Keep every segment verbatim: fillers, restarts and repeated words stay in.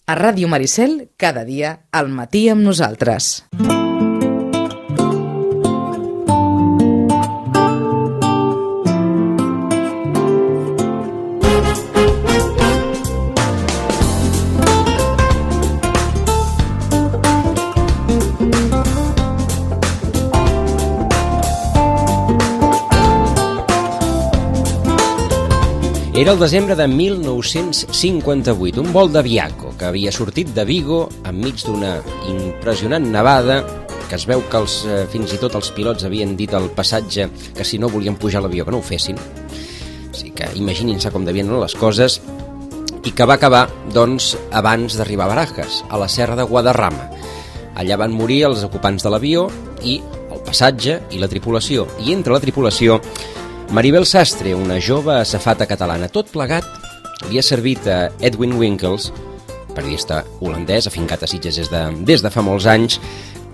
A Ràdio Maricel, cada dia, al matí amb nosaltres. Era el desembre de mil nou-cents cinquanta-vuit, un vol d'Aviaco que havia sortit de Vigo enmig d'una impressionant nevada, que es veu que els, eh, fins i tot els pilots havien dit al passatge que si no volien pujar a l'avió que no ho fessin. O sigui que imaginin-se com devien anar les coses, i que va acabar, doncs, abans d'arribar a Barajas, a la serra de Guadarrama. Allà van morir els ocupants de l'avió i el passatge i la tripulació. I entre la tripulació, Maribel Sastre, una jove azafata catalana. Tot plegat li ha servit a Edwin Winkels, periodista holandès afincat a Sitges des de, des de fa molts anys,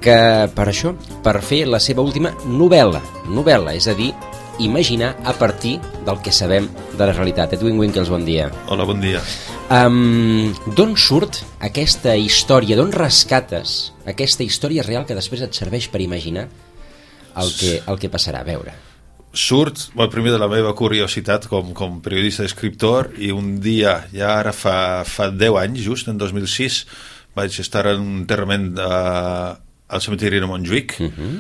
que per això, per fer la seva última novel·la, novel·la, és a dir, imaginar a partir del que sabem de la realitat. Edwin Winkels, bon dia. Hola, bon dia. Um, d'on surt aquesta història, d'on rescates aquesta història real que després et serveix per imaginar el que, el que passarà? A veure... Surt, bueno, primer de la meva curiositat com, com periodista i escriptor, i un dia, ja ara fa, fa deu anys, just en dos mil sis, vaig estar en un enterrament uh, al cementiri de Montjuïc, uh-huh.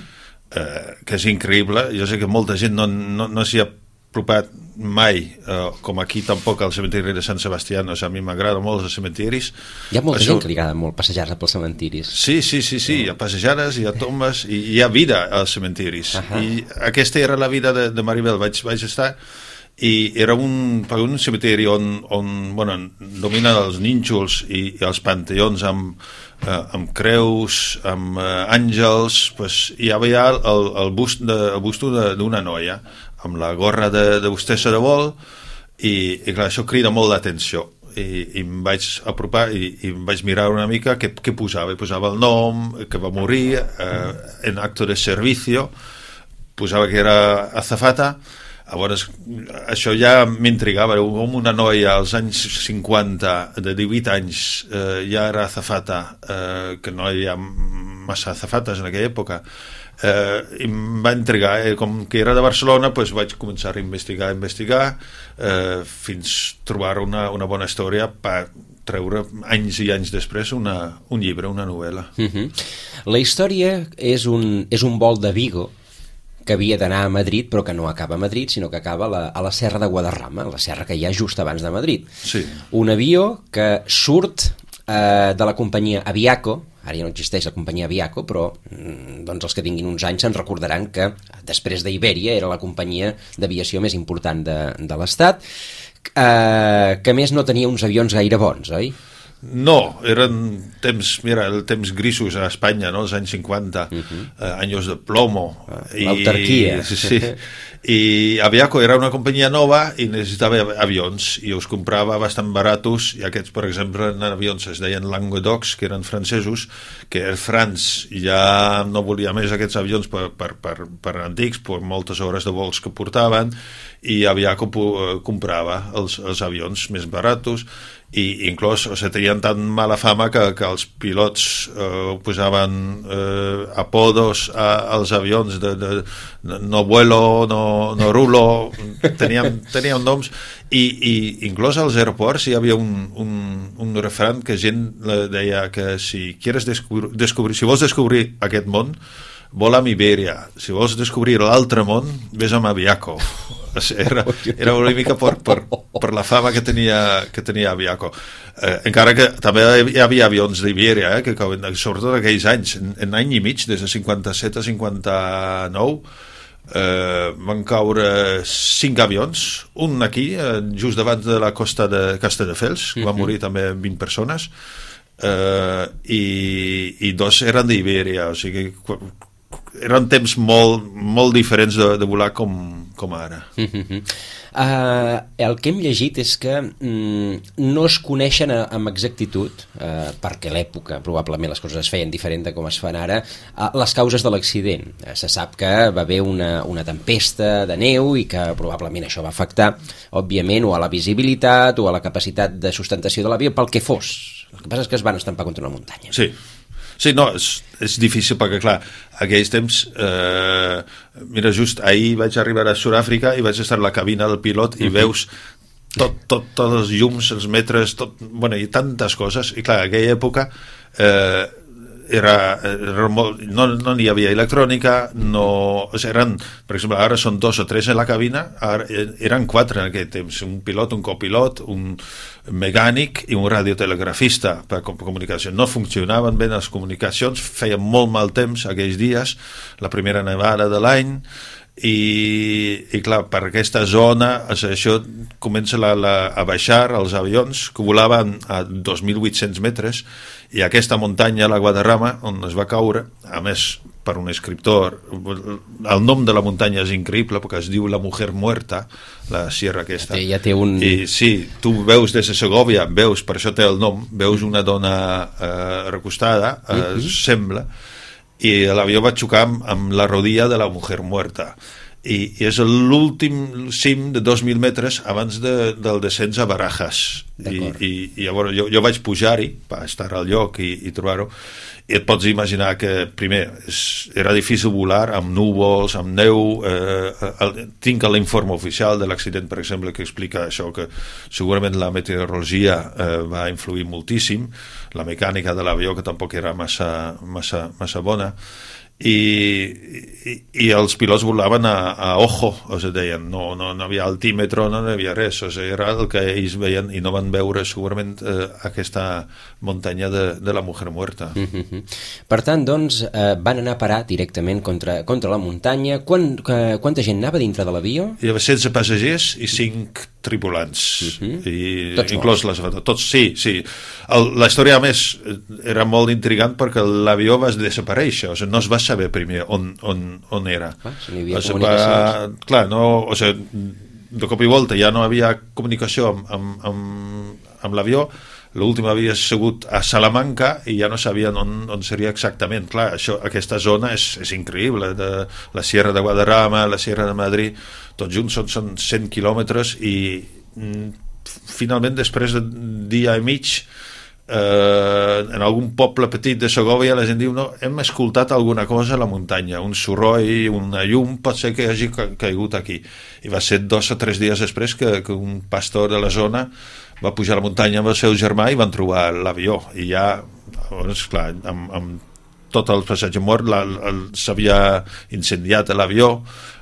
uh, que és increïble. Jo sé que molta gent no, no, no s'hi ha apropat mai, uh, com aquí tampoc al cementiri de Sant Sebastià. No sé, a mi m'agrada molt els cementiris. Hi ha molta Això... gent que li agrada molt passejar-se pels cementiris. Sí, sí, sí, sí, hi ha passejades, hi ha tombes, i hi ha vida als cementiris. Uh-huh. I aquesta era la vida de, de Maribel. Vaig, vaig estar, i era un, un cementiri on, on bueno, dominen els nínxols i, i els panteons amb, uh, amb creus, amb uh, àngels. Pues, hi havia el, el, bust de, el busto d'una noia amb la gorra de, de hostessa de vol, i, i clar, això crida molt l'atenció. I, i em vaig apropar i, i em vaig mirar una mica què, què posava. I posava el nom, que va morir eh, en acto de servicio, posava que era azafata. Llavors, això ja m'intrigava. Com una noia als anys cinquanta, de divuit anys, eh, ja era azafata, eh, que no hi havia massa azafates en aquella època. Eh, em va intrigar, eh? Com que era de Barcelona, pues vaig començar a investigar, a investigar, eh, fins trobar una, una bona història per treure anys i anys després una, un llibre, una novel·la. Uh-huh. La història és un, és un vol de Vigo que havia d'anar a Madrid, però que no acaba a Madrid, sinó que acaba a la, a la serra de Guadarrama, la serra que hi ha just abans de Madrid. Sí. Un avió que surt eh, de la companyia Aviaco. Ara ja no existeix la companyia Aviaco, però doncs els que tinguin uns anys se'n recordaran que després d'Ibèria era la companyia d'aviació més important de, de l'Estat, eh, que a més no tenia uns avions gaire bons, oi? No, eren temps, mira, el temps grisos a Espanya, no?, els anys cinquanta, uh-huh. eh, anys de plomo. L'autarquia. Sí, sí. I Aviaco era una companyia nova i necessitava avions, i els comprava bastant baratos, i aquests, per exemple, eren avions, es deien Languedocs, que eren francesos, que Air France ja no volia més aquests avions per, per, per, per antics, per moltes hores de vols que portaven, i Aviaco comprava els, els avions més baratos, i inclús, o sigui, tenien tan mala fama que, que els pilots eh, posaven eh, apodos a, als avions de, de, de no vuelo, no, no rulo, teníem, teníem noms, i, i inclús als aeroports hi havia un, un, un refran que gent deia que si quieres descobrir, descobrir, si vols descobrir aquest món, vola amb Ibèria, si vols descobrir l'altre món, ves amb Aviaco. Era, era una mica per, per, per la fama que tenia, que tenia Aviaco. Eh, encara que també hi havia avions d'Ibèria, eh, que sobretot aquells anys, en, en any i mig, des de cinquanta-set a cinquanta-nou, eh, van caure cinc avions, un aquí, eh, just davant de la costa de Castelldefels, que van morir també vint persones, eh, i, i dos eren d'Ibèria, o sigui, eren temps molt, molt diferents de, de volar com, com ara. Uh-huh. Uh, el que hem llegit és que mm, no es coneixen a, amb exactitud, uh, perquè a l'època probablement les coses es feien diferent de com es fan ara, uh, les causes de l'accident. Uh, se sap que va haver una, una tempesta de neu i que probablement això va afectar, òbviament, o a la visibilitat o a la capacitat de sustentació de l'avió, pel que fos. El que passa és que es van estampar contra una muntanya. Sí, sí, no, és, és difícil perquè, clar, aquells temps, eh, mira, just ahir vaig arribar a Sud-àfrica i vaig estar a la cabina del pilot i uh-huh. veus tot, tot, tots els llums, els metres, tot, bueno, i tantes coses, i clar, en aquella època eh, era, era molt, no no n'hi havia electrònica, no, o sigui, eren, per exemple, ara són dos o tres en la cabina, ara eren quatre en aquell temps, un pilot, un copilot, un mecànic i un radiotelegrafista per comunicació. No funcionaven bé les comunicacions, feien molt mal temps aquells dies, la primera nevada de l'any, i, i clar, per aquesta zona o sigui, això comença la, la, a baixar els avions que volaven a dos mil vuit-cents metres i aquesta muntanya, la Guadarrama, on es va caure, a més per un escriptor, el nom de la muntanya és increïble perquè es diu La Mujer Muerta, la sierra aquesta, ja té, ja té un... i sí, tu veus des de Segòvia, veus, per això té el nom, veus una dona eh, recostada, eh, uh-huh. sembla, i l'avió va xocar amb, amb la rodilla de la Mujer Muerta i, i és l'últim cim de dos mil metres abans de, del descens a Barajas i, i, i llavors jo, jo vaig pujar-hi per estar al lloc i, i trobar-ho i et pots imaginar que primer és, era difícil volar amb núvols, amb neu, eh, el, tinc l'informe oficial de l'accident, per exemple, que explica això, que segurament la meteorologia eh, va influir moltíssim, la mecànica de l'avió que tampoc era massa, massa, massa bona, i, i, i els pilots volaven a, a ojo, o sigui, deien, no, no, no havia altímetre, no hi havia res, o sigui, era el que ells veien i no van veure segurament eh, aquesta muntanya de, de la Mujer Muerta. Mm-hmm. Per tant, doncs, eh, van anar a parar directament contra, contra la muntanya. Quan, eh, quanta gent anava dintre de l'avió? Hi havia setze passagers i cinc tripulants, mm-hmm. i tots inclòs les tots, sí, sí. El, la història, a més, era molt intrigant perquè l'avió va desaparèixer, o sigui, no es va saber primer on, on, on era. Ah, si n'hi havia o sigui, comunicacions. Va, clar, no, o sigui, de cop i volta ja no havia comunicació amb, amb, amb, amb l'avió, l'últim havia sigut a Salamanca i ja no sabien on, on seria exactament. Clar, això, aquesta zona és, és increïble, de la Sierra de Guadarrama, la Sierra de Madrid, tots junts són, són cent quilòmetres i mm, finalment després d'un dia i mig eh, en algun poble petit de Segòvia la gent diu, no, hem escoltat alguna cosa a la muntanya, un soroll, una llum, pot ser que hagi caigut aquí. I va ser dos o tres dies després que, que un pastor de la zona va pujar a la muntanya amb el seu germà i van trobar l'avió i ja, doncs, clar, amb, amb tot el passatge mort s'havia incendiat l'avió,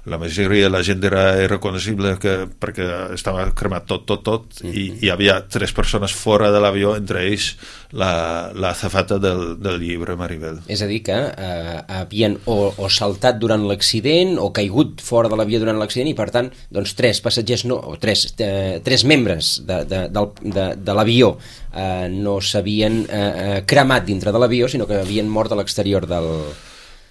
la majoria de la gent era irreconocible que, perquè estava cremat tot, tot, tot mm-hmm. i hi havia tres persones fora de l'avió, entre ells la, la azafata del, del llibre Maribel. És a dir que eh, havien o, o saltat durant l'accident o caigut fora de l'avió durant l'accident i per tant doncs tres passatgers, no, o tres, eh, tres membres de, de, de, de, de l'avió eh, no s'havien eh, cremat dintre de l'avió sinó que havien mort a l'exterior del...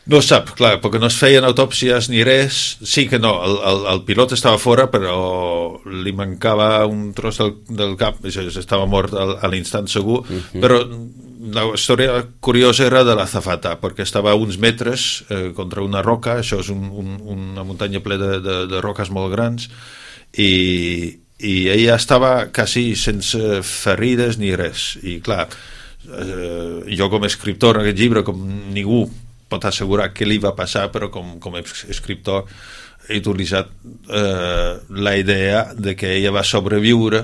No es sap, clar, perquè no es feien autòpsies ni res. Sí que no, el, el, el pilot estava fora, però li mancava un tros del, del cap, estava mort a, a l'instant segur, uh-huh. però la història curiosa era de l'azafata, perquè estava a uns metres eh, contra una roca, això és un, un, una muntanya plena de, de, de roques molt grans, i, i ella estava quasi sense ferides ni res. I clar, eh, jo com a escriptor en aquest llibre, com ningú pot assegurar què li va passar, però com, com a escriptor he utilitzat eh, la idea de que ella va sobreviure.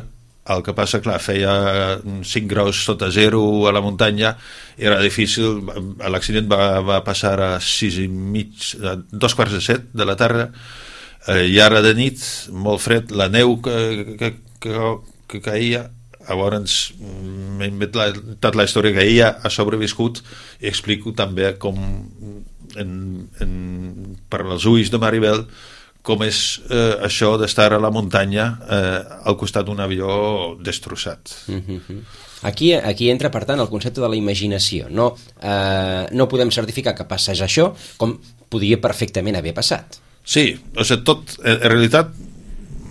El que passa, clar, feia cinc graus sota zero a la muntanya, era difícil, l'accident va, va passar a sis i mig, a dos quarts de set de la tarda, eh, i ara de nit, molt fred, la neu que, que, que, que caia. Llavors m'he inventat la història que ella ha sobreviscut i explico també com en, en, per als ulls de Maribel com és eh, això d'estar a la muntanya eh, al costat d'un avió destrossat. Mm-hmm. Aquí, aquí entra, per tant, el concepte de la imaginació. No, eh, no podem certificar que passés això com podria perfectament haver passat. Sí, o sigui, tot, en, en realitat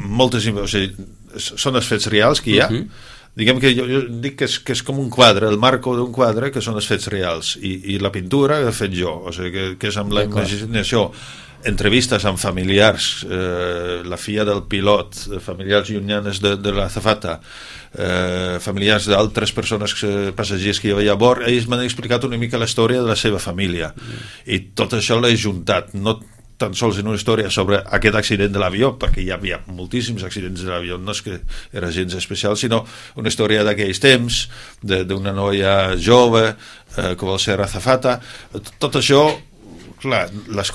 moltes, o sigui, són els fets reals que hi ha. Uh-huh. Diguem que jo, jo dic que és, que és com un quadre, el marco d'un quadre que són els fets reals i, i la pintura que he fet jo, o sigui, que, que és amb la imaginació. entrevistes amb familiars, eh, la filla del pilot, familiars llunyanes de, de l'azafata, eh, familiars d'altres persones, eh, passatgers que hi havia a bord, ells m'han explicat una mica la història de la seva família. Mm. I tot això l'he juntat, no tan sols en una història sobre aquest accident de l'avió, perquè hi havia moltíssims accidents de l'avió, no és que era gens especial, sinó una història d'aquells temps, d'una noia jove eh, que vol ser azafata. Tot això, clar, les,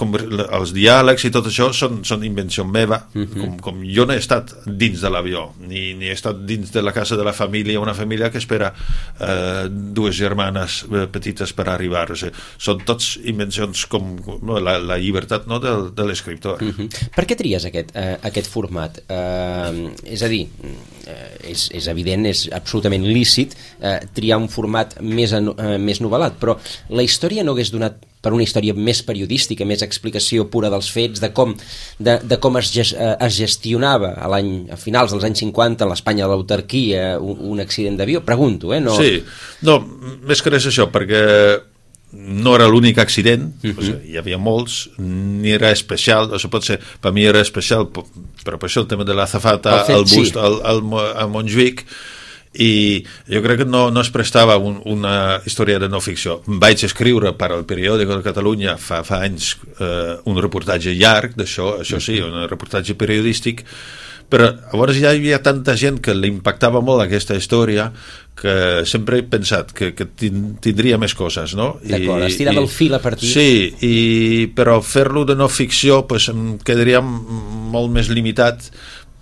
els diàlegs i tot això són, són invenció meva, uh-huh. com, com jo no he estat dins de l'avió, ni, ni he estat dins de la casa de la família, una família que espera eh, dues germanes eh, petites per arribar. O sigui, són tots invencions com no, la, la llibertat no, de, de l'escriptor. Uh-huh. Per què tries aquest, eh, aquest format? Eh, és a dir, eh, és, és evident, és absolutament lícit eh, triar un format més, eh, més novel·lat, però la història no hagués donat per una història més periodística, més explicació pura dels fets, de com, de, de com es, es gestionava a, l'any, a finals dels anys cinquanta a l'Espanya de l'autarquia un, un accident d'avió? Pregunto, eh? No... Sí, no, més que res això, perquè no era l'únic accident, uh-huh. o sigui, hi havia molts, ni era especial, o sigui, pot ser, per mi era especial, però per això el tema de l'azafata, el, el bust sí. al, al, a Montjuïc, i jo crec que no, no es prestava un, una història de no ficció. Vaig escriure per al periòdic de Catalunya fa, fa anys eh, un reportatge llarg d'això, això sí, un reportatge periodístic, però llavors ja hi havia tanta gent que li impactava molt aquesta història que sempre he pensat que, que tindria més coses, no? D'acord, es tirava el fil a partir. Sí, i, però fer-lo de no ficció pues, em quedaria molt més limitat,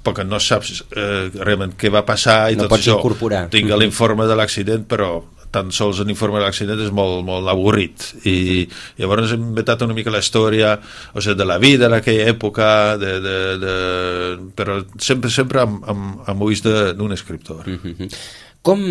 perquè no saps eh, realment què va passar i no tot això. Incorporar. Tinc mm-hmm. l'informe de l'accident, però tan sols l'informe de l'accident és molt, molt avorrit. I llavors hem inventat una mica la història, o sigui, de la vida d'aquella època, de, de, de... però sempre, sempre amb, amb, amb ulls d'un escriptor. Mm-hmm. Com,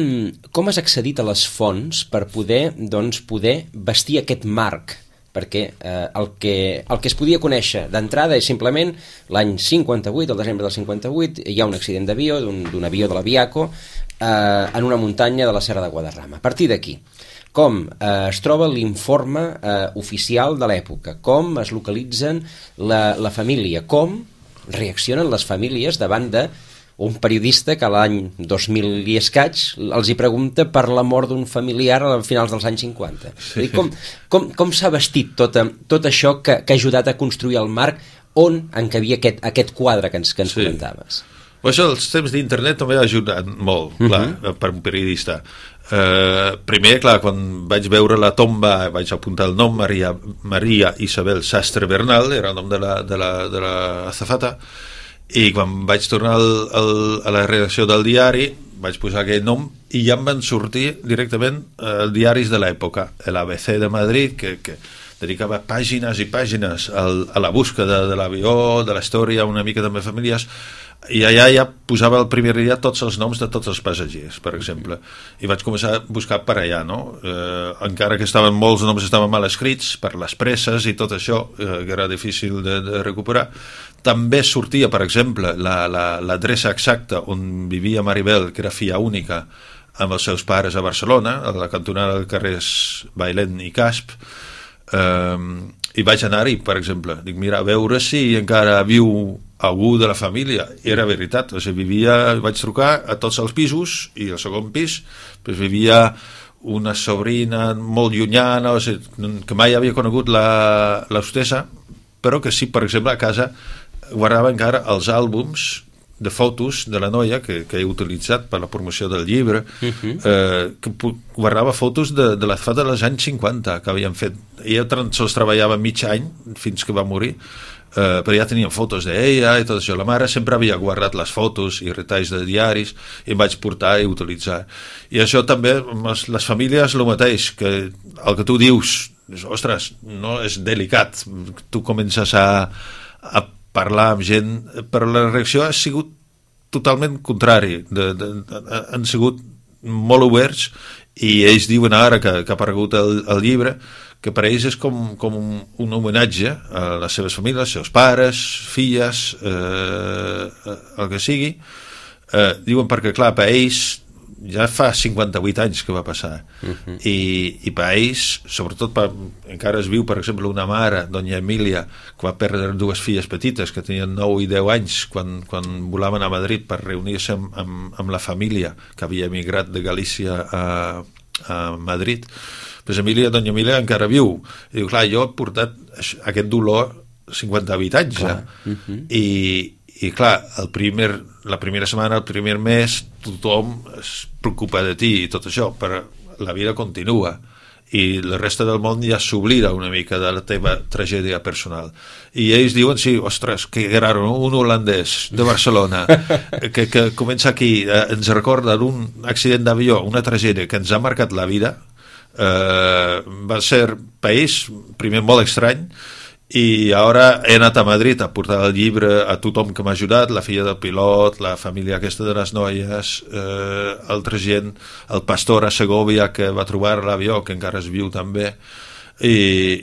com has accedit a les fonts per poder, doncs, poder vestir aquest marc? Perquè eh, el, que, el que es podia conèixer d'entrada és simplement l'any cinquanta-vuit, el desembre del cinquanta-vuit, hi ha un accident d'avió, d'un avió de l'Aviaco, eh, en una muntanya de la Serra de Guadarrama. A partir d'aquí, com eh, es troba l'informe eh, oficial de l'època, com es localitzen la, la família, com reaccionen les famílies davant de un periodista que l'any dos mil i escaig els hi pregunta per la mort d'un familiar a finals dels anys cinquanta. Sí. Com, com, com s'ha vestit tot, tot això que, que ha ajudat a construir el marc on encabia aquest, aquest quadre que ens, que ens sí. comentaves? Això, els temps d'internet també ha ajudat molt, clar, uh-huh. per un periodista. Uh, primer, clar, quan vaig veure la tomba, vaig apuntar el nom, Maria, Maria Isabel Sastre Bernal, era el nom de la, de la, de la azafata, i quan vaig tornar al, al, a la redacció del diari vaig posar aquell nom i ja em van sortir directament els eh, diaris de l'època, l'A B C de Madrid, que, que dedicava pàgines i pàgines al, a la búsqueda de l'avió, de la història, una mica també famílies, i allà ja posava el primer dia tots els noms de tots els passatgers, per exemple, i vaig començar a buscar per allà, no? Eh, encara que estaven molts noms estaven mal escrits per les presses i tot això, eh, que era difícil de, de recuperar. També sortia, per exemple, l'adreça la, exacta on vivia Maribel, que era filla única, amb els seus pares a Barcelona, a la cantonada del carrers Bailén i Casp, eh, i vaig anar-hi, per exemple. Dic, mira, a veure si encara viu algú de la família. I era veritat, o sigui, vivia, vaig trucar a tots els pisos, i el segon pis pues, vivia una sobrina molt llunyana, o sigui, que mai havia conegut l'hostessa, però que sí, per exemple, a casa guardava encara els àlbums de fotos de la noia que, que he utilitzat per la promoció del llibre, uh-huh. eh, que guardava fotos de, de la fata dels anys cinquanta que havien fet. Ella sols treballava mig any fins que va morir, eh, però ja tenien fotos d'ella i tot això. La mare sempre havia guardat les fotos i retalls de diaris i em vaig portar i utilitzar. I això també, les famílies el mateix, que el que tu dius, ostres, no és delicat, tu comences a, a parlar amb gent, però la reacció ha sigut totalment contrari. De, de, de, han sigut molt oberts i ells diuen ara que, que ha aparegut el, el llibre, que per a ells és com, com un, un homenatge a les seves famílies, als seus pares, filles, eh, el que sigui. Eh, diuen perquè, clar, per a ells ja fa cinquanta-vuit anys que va passar. Uh-huh. I, i per ells, sobretot per, encara es viu, per exemple, una mare, Doña Emilia, que va perdre dues filles petites que tenien nou i deu anys quan, quan volaven a Madrid per reunir-se amb, amb, amb la família que havia emigrat de Galícia a, a Madrid. Pues Emilia, Doña Emilia encara viu. I diu, clar, jo he portat aquest dolor cinquanta-vuit anys ja. Uh-huh. I i clar, el primer, la primera setmana, el primer mes, tothom es preocupa de ti i tot això, però la vida continua i la resta del món ja s'oblida una mica de la teva tragèdia personal. I ells diuen, sí, ostres, que raro, no? Un holandès de Barcelona que, que comença aquí, eh, ens recorda d'un accident d'avió, una tragèdia que ens ha marcat la vida, eh, va ser país, primer molt estrany, i ara he anat a Madrid a portar el llibre a tothom que m'ha ajudat, la filla del pilot, la família aquesta de les noies, eh, altra gent, el pastor a Segovia que va trobar l'avió, que encara es viu també, i,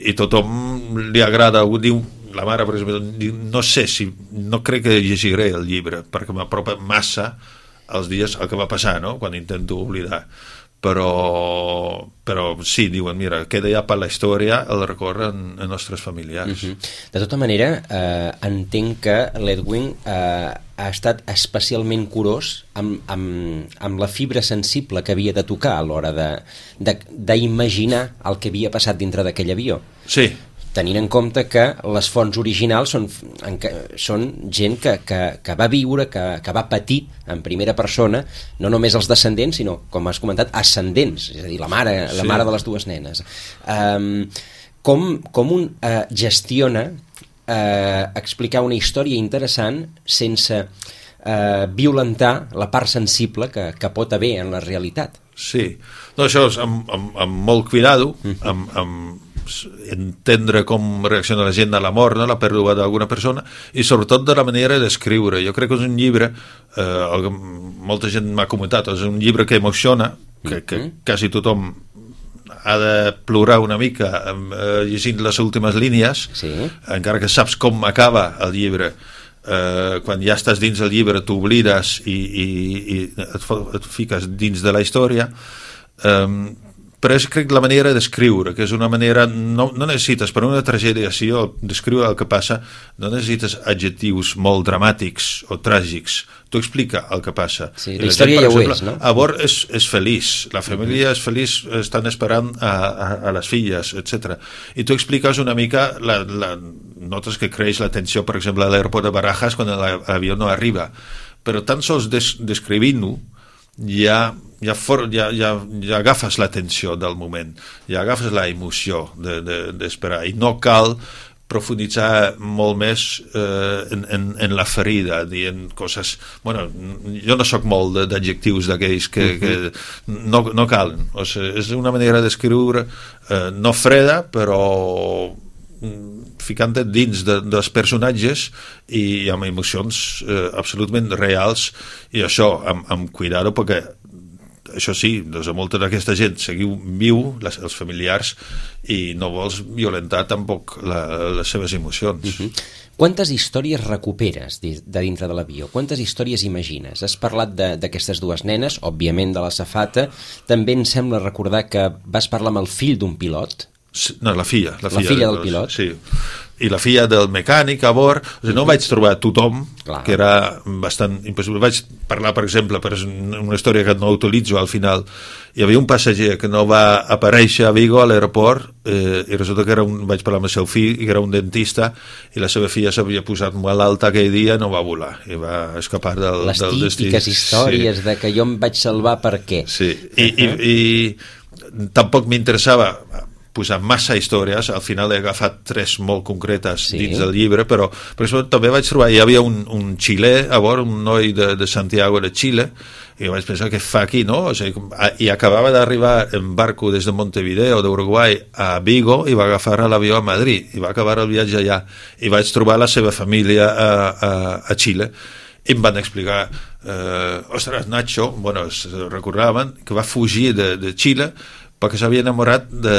i tothom li agrada, diu, la mare, per exemple, diu, no sé si, no crec que llegiré el llibre, perquè m'apropa massa els dies el que va passar, no?, quan intento oblidar. Però, però sí, diuen, mira, queda ja per la història, el recorren a nostres familiars. Uh-huh. De tota manera, eh, entenc que l'Edwin eh, ha estat especialment curós amb, amb, amb la fibra sensible que havia de tocar a l'hora d'imaginar el que havia passat dintre d'aquell avió. Sí. Tenint en compte que les fonts originals són, són gent que, que, que va viure, que, que va patir en primera persona, no només els descendents, sinó, com has comentat, ascendents, és a dir, la mare, la sí. mare de les dues nenes. Um, com, com un uh, gestiona uh, explicar una història interessant sense uh, violentar la part sensible que, que pot haver en la realitat? Sí, no, això és amb, amb, amb molt cuidado, amb, amb entendre com reacciona la gent a la mort, no? La pèrdua d'alguna persona, i sobretot de la manera d'escriure. Jo crec que és un llibre, eh, molta gent m'ha comentat, és un llibre que emociona, que, que quasi tothom ha de plorar una mica eh, llegint les últimes línies, sí. Encara que saps com acaba el llibre. Eh, quan ja estàs dins el llibre t'oblides i, i, i et, et fiques dins de la història. Eh, però és, crec, la manera d'escriure, que és una manera, no, no necessites, per una tragèdia així, o descriure el que passa, no necessites adjectius molt dramàtics o tràgics. Tu explica el que passa. Sí, la, la història gent, ja exemple, ho és, no? A bord és, és feliç, la família uh-huh. és feliç, estan esperant a, a, a les filles, etcètera. I tu expliques una mica, la, la, notes que creix la tensió, per exemple, a l'aeroport de Barajas, quan l'avió no arriba. Però tan sols des, descrivint-ho, ja, ja, for, ja, ja, ja agafes l'atenció del moment, ja agafes la emoció d'esperar, de, de, i no cal profunditzar molt més eh, en, en, en la ferida, dient coses... Bueno, jo no sóc molt d'adjectius d'aquells que, uh-huh. que no, no calen. O sigui, és una manera d'escriure eh, no freda, però ficant-te dins de, dels personatges i amb emocions eh, absolutament reals, i això amb, amb cuidado, perquè això sí, doncs a molta d'aquesta gent seguiu viu, les, els familiars, i no vols violentar tampoc la, les seves emocions. Uh-huh. Quantes històries recuperes de, de dintre de l'avió? Quantes històries imagines? Has parlat d'aquestes dues nenes, òbviament de la safata, també em sembla recordar que vas parlar amb el fill d'un pilot. No, la filla. La, la filla, filla de, del pilot. Sí. I la filla del mecànic a bord. O sigui, no vaig trobar tothom, clar, que era bastant impossible. Vaig parlar, per exemple, per una història que no utilitzo al final. Hi havia un passatger que no va aparèixer a Vigo, a l'aeroport, eh, i resulta que era un, vaig parlar amb el seu fill, que era un dentista, i la seva filla s'havia posat molt alta aquell dia i no va volar, i va escapar del, les del destí. Les típiques històries sí. de que jo em vaig salvar per què. Sí, i, uh-huh. i, i tampoc m'interessava posar massa històries, al final he agafat tres molt concretes sí. dins del llibre, però per exemple també vaig trobar, hi havia un, un xilè a bord, un noi de, de Santiago de Xile, i vaig pensar, què fa aquí, no? O sigui, i acabava d'arribar en barco des de Montevideo, d'Uruguai, a Vigo, i va agafar l'avió a Madrid, i va acabar el viatge allà, i vaig trobar la seva família a, a, a Xile, i em van explicar, eh, ostres, Nacho, bueno, es recordaven que va fugir de, de Xile perquè s'havia enamorat de,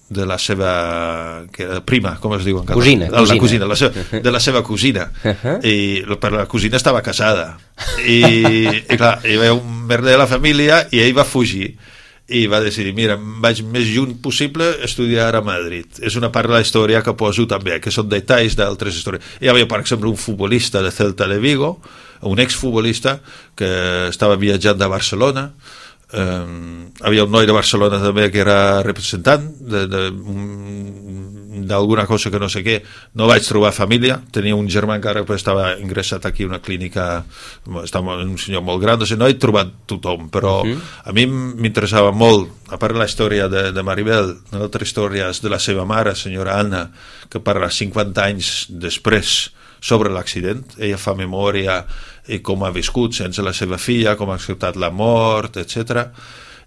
de la seva que era prima, com es diu en català? Cosina, la cosina. cosina la seva, de la seva cosina. Uh-huh. I per la cosina estava casada. I, i clar, hi va un merder de la família i ell va fugir i va decidir, mira, em vaig més lluny possible a estudiar a Madrid. És una part de la història que poso també, que són detalls d'altres històries. Hi havia, per exemple, un futbolista de Celta de Vigo, un exfutbolista que estava viatjant de Barcelona. Um, havia un noi de Barcelona també que era representant d'alguna cosa que no sé què. No vaig trobar família, tenia un germà encara que estava ingressat aquí a una clínica, estava un senyor molt gran, no sé, no he trobat tothom, però uh-huh. a mi m'interessava molt, a part de la història de, de Maribel, altres històries de la seva mare, senyora Anna, que parla cinquanta anys després sobre l'accident. Ella fa memòria i com ha viscut sense la seva filla, com ha acceptat la mort, etcètera.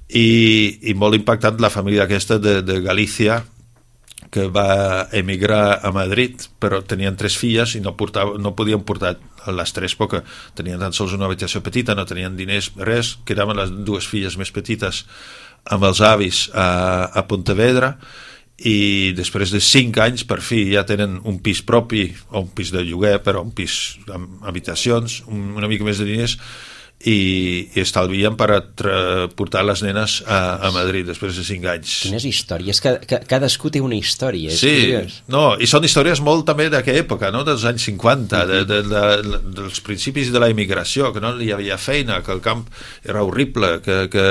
I, i molt impactant la família aquesta de, de Galícia, que va emigrar a Madrid, però tenien tres filles i no, portava, no podien portar les tres perquè tenien tan sols una habitació petita, no tenien diners, res, quedaven les dues filles més petites amb els avis a, a Pontevedra, i després de cinc anys per fi ja tenen un pis propi o un pis de lloguer, però un pis amb habitacions, un, una mica més de diners, i, i estalvien per a tra- portar les nenes a, a Madrid després de cinc anys. Quines històries, que, que, cadascú té una història, és sí, curiós. no, i són històries molt també d'aquella època, no? Dels anys cinquanta, de, de, de, de, dels principis de la immigració, que no hi havia feina, que el camp era horrible, que, que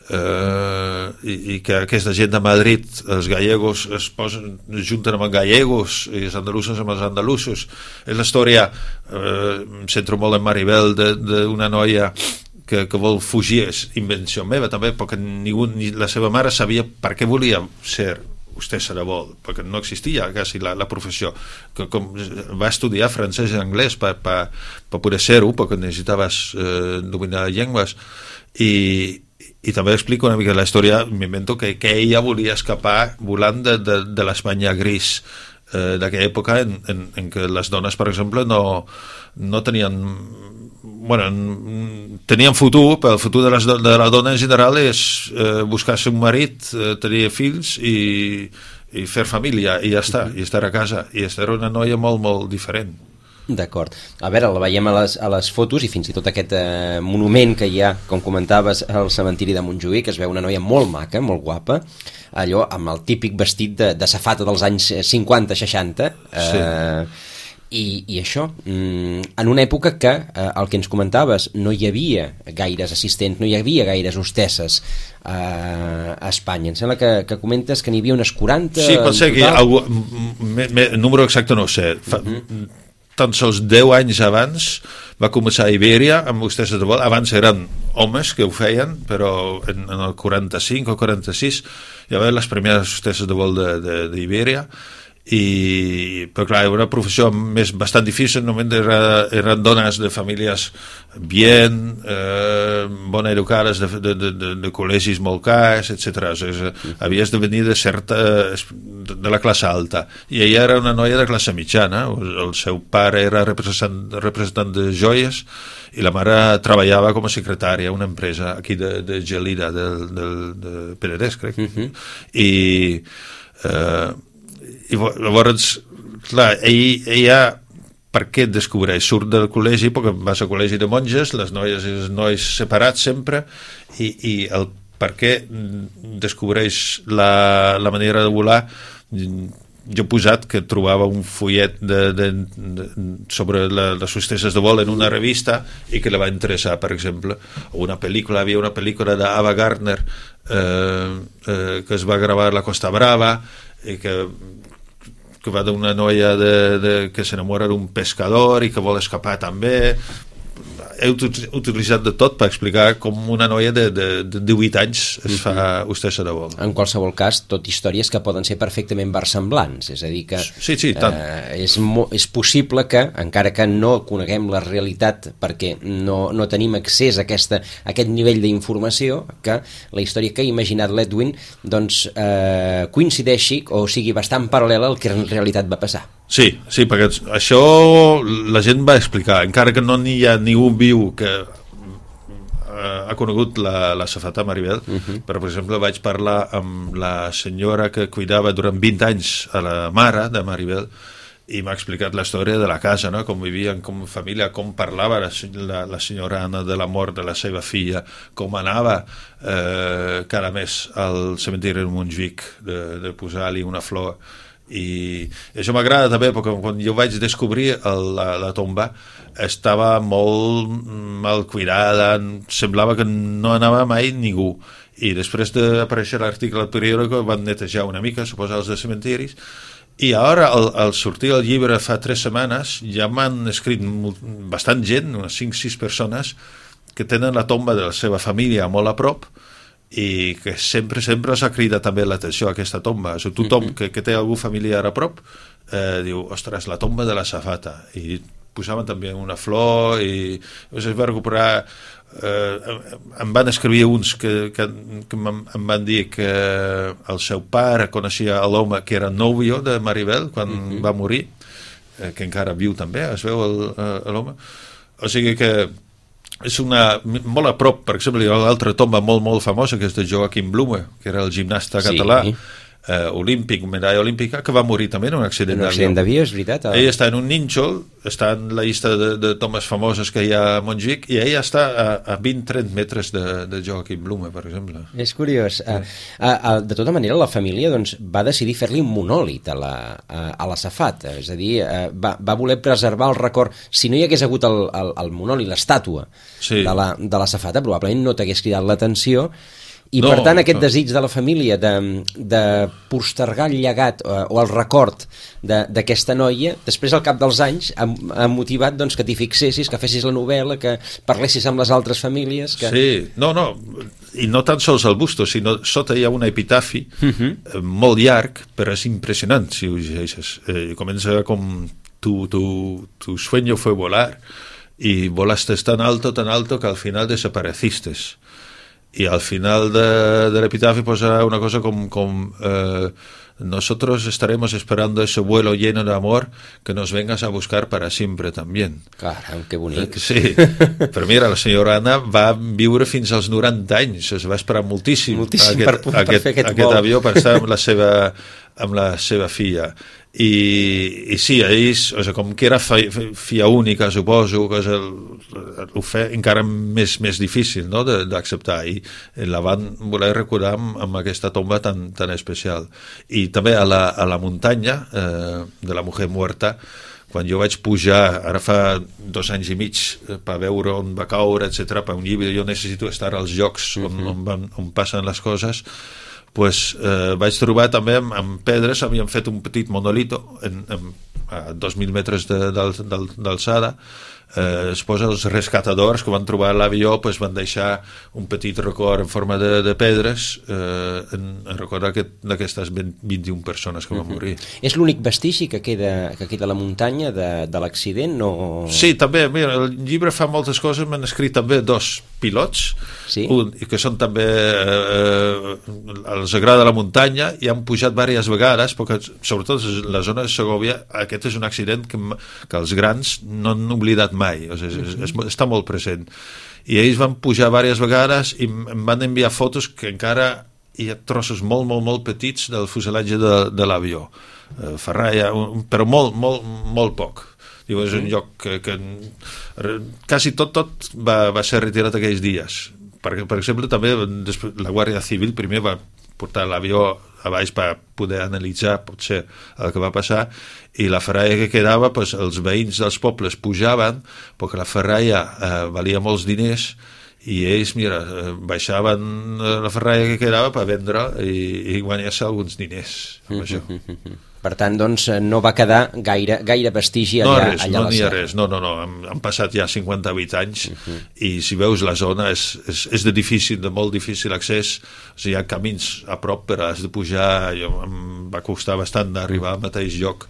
Uh, i, i que aquesta gent de Madrid, els gallegos es posen, es junten amb els gallegos i els andalusos amb els andalusos. És la història, uh, em centro molt en Maribel, d'una noia que, que vol fugir, és invenció meva també, perquè ningú, ni la seva mare sabia per què volia ser hostessa de vol, perquè no existia quasi la, la professió, que com va estudiar francès i anglès per, per, per poder ser-ho, perquè necessitaves uh, dominar llengües. I i també explico una mica la història, m'invento que, que ella volia escapar volant de, de, de l'Espanya gris eh, d'aquella època en, en, en què les dones, per exemple, no, no tenien bueno, tenien futur, però el futur de, les, de la dona en general és eh, buscar-se un marit, eh, tenir fills i, i fer família, i ja està, i estar a casa, i era una noia molt, molt diferent. D'acord. A veure, la veiem a les, a les fotos i fins i tot aquest eh, monument que hi ha, com comentaves, al cementiri de Montjuïc, es veu una noia molt maca, molt guapa, allò amb el típic vestit de, de safata dels anys cinquanta seixanta, eh, sí. i, i això, mm, en una època que, eh, el que ens comentaves, no hi havia gaires assistents, no hi havia gaires hostesses eh, a Espanya. Em sembla que, que comentes que n'hi havia unes quaranta... Sí, pot ser que algú, me, me, el número exacte no ho sé. Fa, uh-huh. Tan sols deu anys abans va començar a Ibèria amb hostesses de vol. Abans eren homes que ho feien, però en, en el quaranta-cinc o quaranta-sis hi va haver les primeres hostesses de vol d'Ibèria. I, però clar, era una professió més bastant difícil, només era, eren dones de famílies bien, eh, bona educades, de, de, de, de col·legis molt cars, etcètera. O sigui, havies de venir de certa, de la classe alta, i ella era una noia de classe mitjana. El seu pare era representant, representant de joies i la mare treballava com a secretària a una empresa aquí de, de Gelida, de, de, de Penedès, crec. Uh-huh. I eh, i llavors, clar, ell, ella per què et descobreix? Surt del col·legi, perquè vas al col·legi de monges, les noies i els nois separats sempre, i, i el per què descobreix la, la manera de volar. Jo he posat que trobava un fullet de, de, de, sobre la, les hostesses de vol en una revista i que la va interessar, per exemple. O una pel·lícula, havia una pel·lícula d'Ava Gardner eh, eh, que es va gravar a la Costa Brava i que que va d'una noia de, de, que s'enamora d'un pescador i que vol escapar també. He utilitzat de tot per explicar com una noia de, de, de divuit anys es fa hostessa de vol. En qualsevol cas, tot històries que poden ser perfectament versemblants, és a dir que sí, sí, tant. Eh, és, mo, és possible que, encara que no coneguem la realitat perquè no, no tenim accés a, aquesta, a aquest nivell d'informació, que la història que ha imaginat l'Edwin doncs, eh, coincideixi o sigui bastant paral·lela al que en realitat va passar. Sí, sí, perquè això la gent va explicar, encara que no n'hi ha ningú viu que ha conegut la, la safata Maribel, uh-huh. però, per exemple, vaig parlar amb la senyora que cuidava durant vint anys a la mare de Maribel, i m'ha explicat la història de la casa, no? Com vivien com família, com parlava la, la, la senyora Anna de la mort de la seva filla, com anava eh, cada mes al cementiri de Montjuïc de, de posar-li una flor. I això m'agrada també perquè quan jo vaig descobrir el, la, la tomba estava molt mal cuidada, semblava que no anava mai ningú, i després d'aparèixer l'article al periòdico van netejar una mica, suposa els de cementiris. I ara, al, al sortir el llibre fa tres setmanes, ja m'han escrit molt, bastant gent, unes cinc o sis persones, que tenen la tomba de la seva família molt a prop i que sempre, sempre s'ha cridat també l'atenció a aquesta tomba. O sigui, tothom que, que té algú familiar a prop eh, diu, ostres, la tomba de la safata. I posaven també una flor i es va recuperar. Eh, em van escriure uns que, que, que em van dir que el seu pare coneixia l'home que era nòvio de Maribel quan uh-huh. va morir, eh, que encara viu també, es veu l'home. O sigui que és una, molt a prop, per exemple, hi ha l'altra tomba molt, molt famosa, que és de Joaquim Blume, que era el gimnasta sí. català, eh, olímpic, medalla olímpica, que va morir també en un accident d'avió. Un accident d'avió, és veritat. Ell està en un nínxol, està en la llista de, de tombes famoses que hi ha a Montjuïc, i ell està a, a vint a trenta metres de, de Joaquim Blume, per exemple. És curiós. Sí. A, a, de tota manera, la família doncs, va decidir fer-li un monòlit a la, a, a la safata, és a dir, va, va voler preservar el record. Si no hi hagués hagut el, el, el monòlit, l'estàtua sí. de, la, de la safata, probablement no t'hagués cridat l'atenció. I no, per tant aquest no. desig de la família de, de postergar el llegat o, o el record d'aquesta noia, després al cap dels anys ha, ha motivat doncs, que t'hi fixessis, que fessis la novel·la, que parlessis amb les altres famílies que... Sí, no, no, i no tan sols el busto, sinó sota hi ha un epitafi uh-huh. eh, molt llarg, però és impressionant si ho llegeixes. Eh, comença com tu, tu, tu sueño fue volar y volaste tan alto, tan alto que al final desapareciste. Y al final de, del epitafio posa una cosa como, como eh, nosotros estaremos esperando ese vuelo lleno de amor que nos vengas a buscar para siempre también. Caram, que bonic. Sí, però mira, la senyora Anna va viure fins als noranta anys, es va esperar moltíssim, moltíssim aquest, per, per aquest, fer aquest, aquest vol. avió per estar amb la seva, amb la seva filla. I, i sí, ells, o sigui, com que era fi, filla única, suposo, que el, ho fe encara més, més difícil, no?, d'acceptar, i la van voler recordar amb, amb aquesta tomba tan, tan especial. I també a la, a la muntanya eh, de la Mujer Muerta, quan jo vaig pujar, ara fa dos anys i mig, per veure on va caure, etcètera, per un llibre, jo necessito estar als llocs on, uh-huh. on, van, on passen les coses, pues, eh, vaig trobar també amb, amb pedres, havien fet un petit monolito en, en, a dos mil metres d'alçada. Eh, es posa els rescatadors que van trobar l'avió, pues, van deixar un petit record en forma de, de pedres eh, en, en record d'aquestes vint-i-una persones que van morir. Uh-huh. És l'únic vestigi que queda, que queda a la muntanya de, de l'accident? No... Sí, també, mira, el llibre fa moltes coses, m'han escrit també dos pilots, sí? un, que són també eh, els agrada la muntanya i han pujat diverses vegades, perquè sobretot la zona de Segòvia, aquest és un accident que, que els grans no han oblidat mai, o sigui, és, és, està molt present, i ells van pujar diverses vegades i em van enviar fotos que encara hi ha trossos molt, molt, molt petits del fuselatge de, de l'avió, eh, ferralla, però molt, molt, molt poc. Diu, és un lloc que, que quasi tot, tot va, va ser retirat aquells dies, perquè, per exemple, també després, la Guàrdia Civil primer va portar l'avió a baix per poder analitzar potser el que va passar, i la ferralla que quedava, pues, els veïns dels pobles pujaven perquè la ferralla eh, valia molts diners i ells, mira, baixaven la ferralla que quedava per vendre i, i guanyar-se alguns diners amb això. Per tant, doncs, no va quedar gaire, gaire vestigi allà, no, res, allà no a la serra. No, n'hi ha serra. res, no, no, no, han, han passat ja cinquanta-vuit anys uh-huh. i si veus la zona és, és, és de difícil, de molt difícil accés, o sigui, hi ha camins a prop però has de pujar, jo, em va costar bastant d'arribar al mateix lloc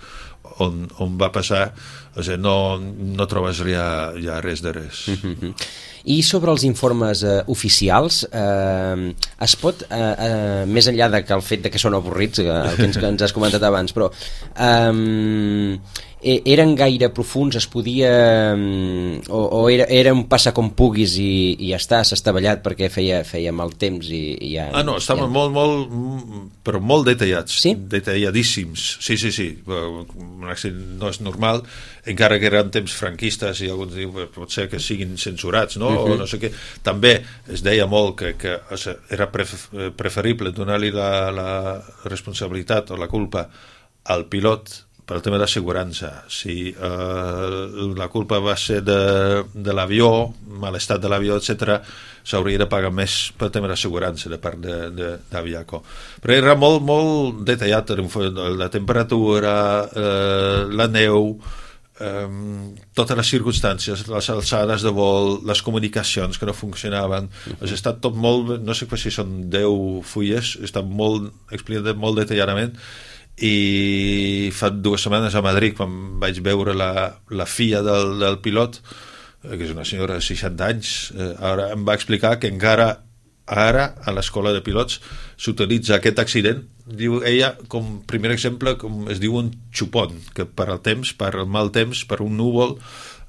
on, on va passar, o sigui, no, no trobes ja, ja res de res. Uh-huh. I sobre els informes eh, oficials, eh, es pot, eh, eh, més enllà de que el fet de que són avorrits, eh, el que ens, que ens has comentat abans, però eh, eren gaire profuns, es podia... o, o era, era un passa com puguis i, i ja està, s'ha estavellat perquè feia, feia mal temps i, i ja... Ah, no, estaven ja... molt, molt, però molt detallats, sí? detalladíssims. Sí, sí, sí, un accident no és normal, encara que eren temps franquistes i alguns diuen pot ser que siguin censurats, no? Uh-huh. O no sé què. També es deia molt que, que era preferible donar-li la, la responsabilitat o la culpa al pilot per al tema d'assegurança. Si eh, la culpa va ser de, de l'avió, mal estat de l'avió, etcètera, s'hauria de pagar més pel tema d'assegurança de part d'Aviaco. Però era molt, molt detallat, la temperatura, eh, la neu, eh, totes les circumstàncies, les alçades de vol, les comunicacions que no funcionaven. Uh-huh. Ha estat tot molt, no sé si són deu fulles, està molt explicat molt detalladament. I fa dues setmanes a Madrid, quan vaig veure la, la filla del, del pilot, que és una senyora de seixanta anys, eh, ara em va explicar que encara ara a l'escola de pilots s'utilitza aquest accident, diu ella, com primer exemple, com es diu un xupon, que per al temps, per al mal temps, per un núvol,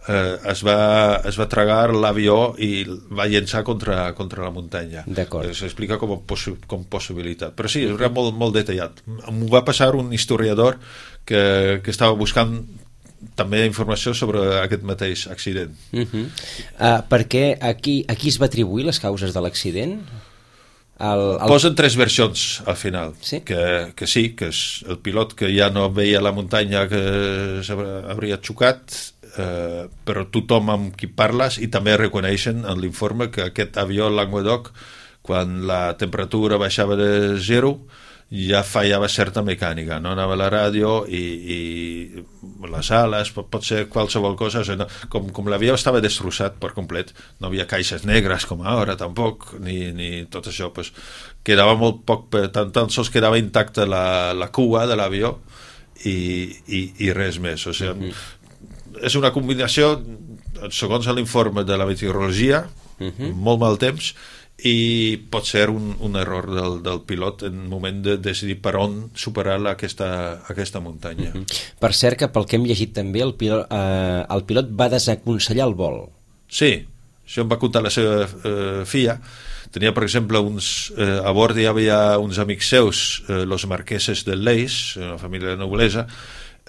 eh, es, va, es va tragar l'avió i va llençar contra, contra la muntanya. S'explica com, possi com possibilitat. Però sí, era molt, molt detallat. M'ho va passar un historiador que, que estava buscant també informació sobre aquest mateix accident. Uh -huh. uh, perquè aquí, aquí es va atribuir les causes de l'accident? El, el... Posen tres versions al final. Sí? Que, que sí, que és el pilot que ja no veia la muntanya que s'hauria xocat, eh, però tothom amb qui parles i també reconeixen en l'informe que aquest avió Languedoc, quan la temperatura baixava de zero, ja fallava certa mecànica, no anava a la ràdio i, i les ales, pot, pot ser qualsevol cosa, o sigui, no, com, com l'avió estava destrossat per complet, no havia caixes negres com ara tampoc, ni, ni tot això, pues, quedava molt poc, tan, tan sols quedava intacta la, la cua de l'avió i, i, i res més, o sigui, mm-hmm. és una combinació, segons l'informe de la meteorologia, mm-hmm. molt mal temps, i pot ser un, un error del, del pilot en el moment de decidir per on superar aquesta, aquesta muntanya. Mm-hmm. Per cert, que pel que hem llegit també, el pilot, eh, el pilot va desaconsellar el vol. Sí, això em va contar la seva eh, filla. Tenia, per exemple, uns, eh, a bord hi havia uns amics seus, eh, los marqueses del Leis, una família de noblesa,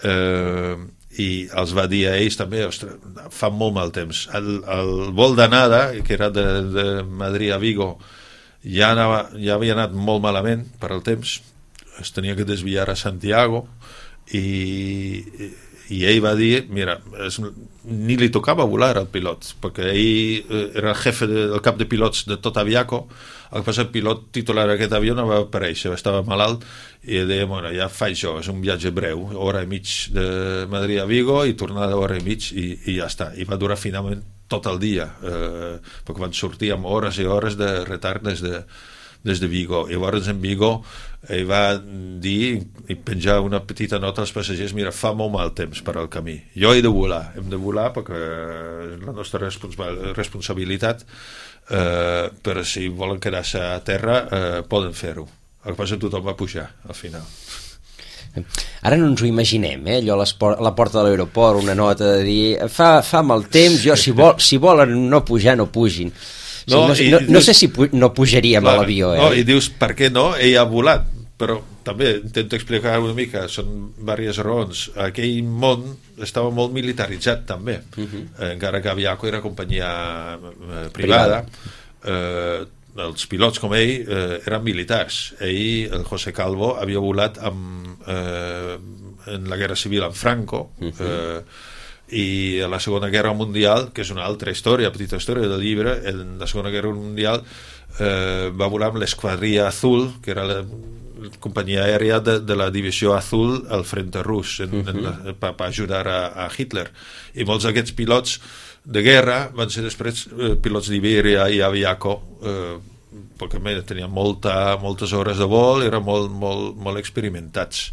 eh, i els va dir a ells també, ostres, fa molt mal temps. El, el vol d'anada, que era de, de Madrid a Vigo, ja, anava, ja havia anat molt malament per al temps, es tenia que desviar a Santiago i, i ell va dir, mira, es, ni li tocava volar al pilot, perquè ell era el jefe de, del cap de pilots de tot Aviaco. El que passa, el pilot titular d'aquest avió no va aparèixer, estava malalt i deia, bueno, ja faig jo, és un viatge breu, hora i mig de Madrid a Vigo i tornada hora i mig i, i ja està, i va durar finalment tot el dia, eh, perquè van sortir amb hores i hores de retard des de, des de Vigo, i llavors en Vigo ell va dir i penjar una petita nota als passatgers, mira, fa molt mal temps per al camí, jo he de volar, hem de volar perquè és la nostra responsa responsabilitat, eh, però si volen quedar-se a terra eh, poden fer-ho. El que passa, tothom va pujar al final. Ara no ens ho imaginem, eh? Allò a la porta de l'aeroport, una nota de dir fa, fa mal temps, jo si, vol, si volen no pujar, no pugin. No, o sigui, no, no, no dius, sé si pu no pujaríem clar, a l'avió. Eh? No, i dius, per què no? Ell ha volat, però també intento explicar una mica, són diverses raons. Aquell món estava molt militaritzat també, uh -huh. eh, encara que Aviaco era companyia eh, privada, privada. Eh, els pilots com ell eh, eren militars. Ell, el José Calvo, havia volat amb, eh, en la Guerra Civil amb Franco, uh -huh. eh, i a la Segona Guerra Mundial, que és una altra història, petita història del llibre, en la Segona Guerra Mundial eh, va volar amb l'Esquadrilla Azul, que era la companyia aèria de, de la divisió Azul al frente rus, uh -huh. per ajudar a, a Hitler. I molts d'aquests pilots de guerra van ser després eh, pilots d'Iberia i Aviaco, eh, perquè més, tenien molta, moltes hores de vol, eren molt, molt, molt experimentats.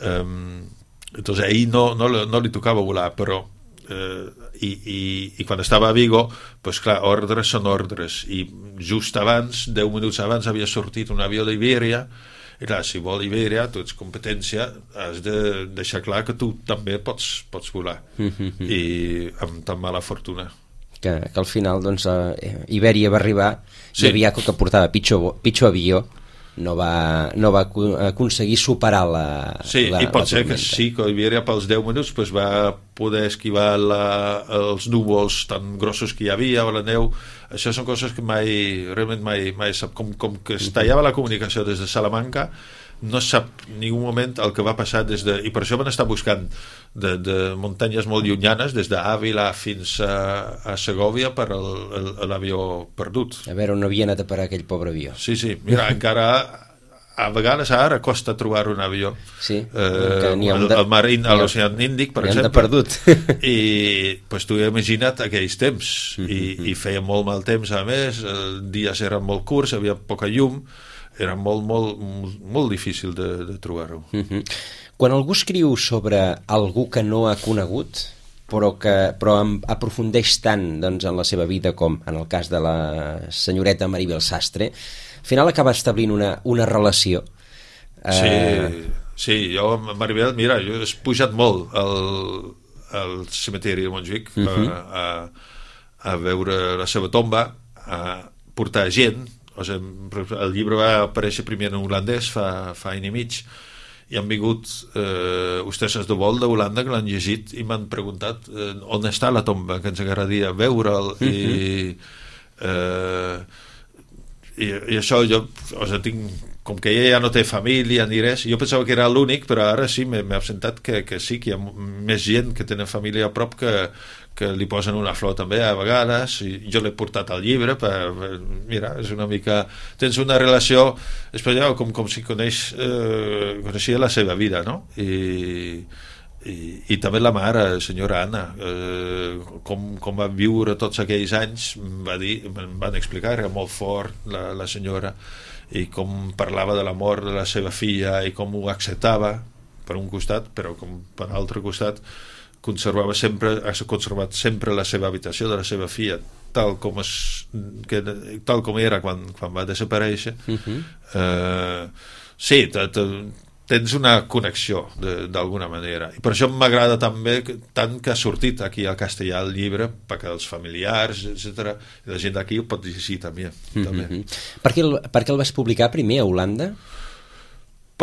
Um, entonces ahí no, no, no li tocava volar, però eh, i, i, i quan estava a Vigo, pues clar, ordres són ordres, i just abans, deu minuts abans, havia sortit un avió d'Iberia I clar, si vol Iberia, tu ets competència, has de deixar clar que tu també pots, pots volar. Mm-hmm. I amb tan mala fortuna. Que, que al final, doncs, eh, Iberia va arribar, sí. I Aviaco, que portava pitjor, pitjor avió, no va, no va aconseguir superar la sí, la, i pot la ser tormenta. Que sí, que Iberia pels deu minuts pues, va poder esquivar la, els núvols tan grossos que hi havia o la neu. Això són coses que mai realment mai, mai sap, com, com que es tallava la comunicació des de Salamanca, no sap ni un moment el que va passar des de... I per això van estar buscant de, de muntanyes molt llunyanes, des d'Àvila fins a, a Segòvia, per el, el, l'avió perdut. A veure on havia anat a parar aquell pobre avió. Sí, sí. Mira, encara a vegades ara costa trobar un avió. Sí, eh, el, de, el mar in, a l'oceà Índic, per exemple. Perdut. I pues, tu imagina't aquells temps. Mm-hmm. I, I feia molt mal temps, a més, els dies eren molt curts, havia poca llum, era molt, molt, molt, molt difícil de, de trobar-ho. Mm-hmm. Quan algú escriu sobre algú que no ha conegut, però que però aprofundeix tant, doncs, en la seva vida, com en el cas de la senyoreta Maribel Sastre, al final acaba establint una, una relació. Sí, eh... sí, jo amb Maribel, mira, jo he pujat molt al, al cementiri de Montjuïc, mm-hmm. a, a, a veure la seva tomba, a portar gent. O sigui, el llibre va aparèixer primer en holandès fa, fa any i mig, i han vingut eh, hostesses de vol d'Holanda que l'han llegit i m'han preguntat eh, on està la tomba, que ens agradaria veure'l. Mm-hmm. i, eh, i, i això jo, o sigui, tinc, com que ella ja no té família ni res, jo pensava que era l'únic, però ara sí m'he absentat que, que sí, que hi ha més gent que tenen família a prop que, que li posen una flor també a vegades, i jo l'he portat al llibre per, per, mira, és una mica, tens una relació especial, com, com si coneix eh, coneixia la seva vida, no? I, i, i també la mare, senyora Anna, eh, com, com va viure tots aquells anys, va dir, em van explicar, era molt fort la, la senyora, i com parlava de la mort de la seva filla i com ho acceptava per un costat, però com per l'altre costat conservava sempre, ha conservat sempre la seva habitació de la seva filla tal com, es, que, tal com era quan, quan va desaparèixer. Uh-huh. eh, sí, te, te, tens una connexió d'alguna manera, i per això m'agrada també que, tant que ha sortit aquí al castellà el llibre, perquè els familiars, etcètera, i la gent d'aquí ho pot llegir també. Mm-hmm. també. Per què el, per què el vas publicar primer a Holanda?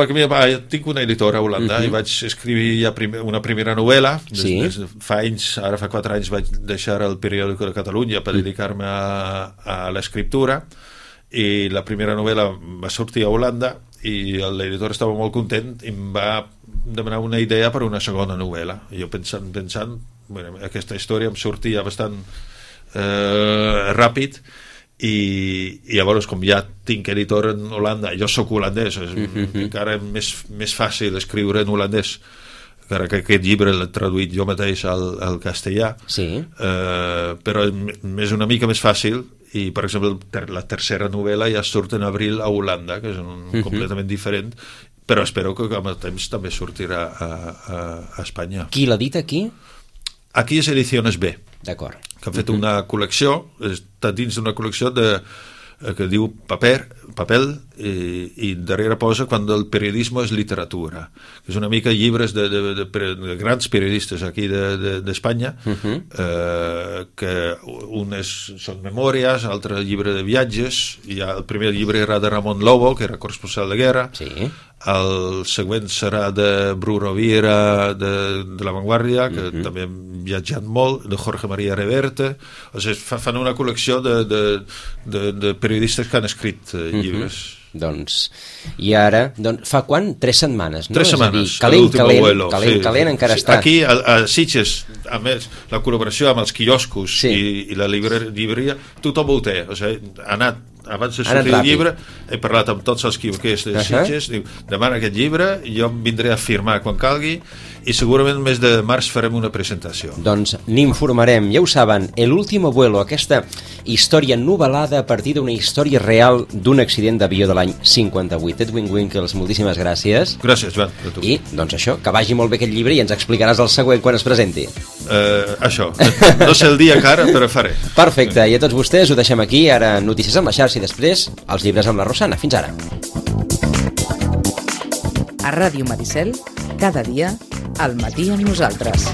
Perquè mira, va, tinc una editora a Holanda, uh-huh. i vaig escriure ja primer, una primera novel·la. Des, sí. des, fa anys, ara fa quatre anys vaig deixar el periòdico de Catalunya per dedicar-me a, a l'escriptura, i la primera novel·la va sortir a Holanda i l'editor estava molt content i em va demanar una idea per una segona novel·la, i jo pensant, pensant bueno, aquesta història em sortia bastant eh, ràpid, i, i llavors com ja tinc editor en Holanda, jo sóc holandès, és mm-hmm. encara més, més fàcil escriure en holandès, encara que aquest llibre l'he traduït jo mateix al, al castellà, sí. eh, però és una mica més fàcil. I per exemple la tercera novel·la ja surt en abril a Holanda, que és un, uh-huh. completament diferent, però espero que amb el temps també sortirà a, a, a Espanya. Qui l'ha dit aquí? Aquí és Ediciones B, d'acord. Que han fet uh-huh. una col·lecció, està dins d'una col·lecció de, que diu paper, papel, i, i darrere posa quan el periodisme és literatura, que és una mica llibres de, de, de, de grans periodistes aquí d'Espanya, de, de, uh-huh. eh, que un és, són memòries, l'altre llibre de viatges, i el primer llibre era de Ramon Lobo, que era corresponsal de guerra, sí. el següent serà de Bru Rovira de, de La Vanguardia, que uh-huh. també hem viatjat molt, de Jorge María Reverte, o sigui, fan una col·lecció de, de, de, de periodistes que han escrit eh, llibres. Uh-huh. Doncs, i ara, doncs, fa quan? Tres setmanes, no? Tres setmanes, és a dir, calent, calent, vuelo, calent, sí. calent encara sí, està. Aquí, a, a Sitges, a més, la col·laboració amb els quioscos sí. i, i la llibreria, tothom ho té, o sigui, ha anat abans de sortir el llibre, he parlat amb tots els quiosquers de Sitges, uh-huh. diu, demana aquest llibre, jo em vindré a firmar quan calgui, i segurament el mes de març farem una presentació. Doncs n'informarem, ja ho saben, El último vuelo, aquesta història novel·lada a partir d'una història real d'un accident d'avió de l'any cinquanta-vuit. Edwin Winkles, moltíssimes gràcies. Gràcies, Joan. I, doncs això, que vagi molt bé aquest llibre i ens explicaràs el següent quan es presenti. Uh, això, no sé el dia encara, però faré. Perfecte, i a tots vostès ho deixem aquí, ara notícies amb la xarxa i després els llibres amb la Rosana. Fins ara. A Ràdio Maricel, cada dia, al matí amb nosaltres.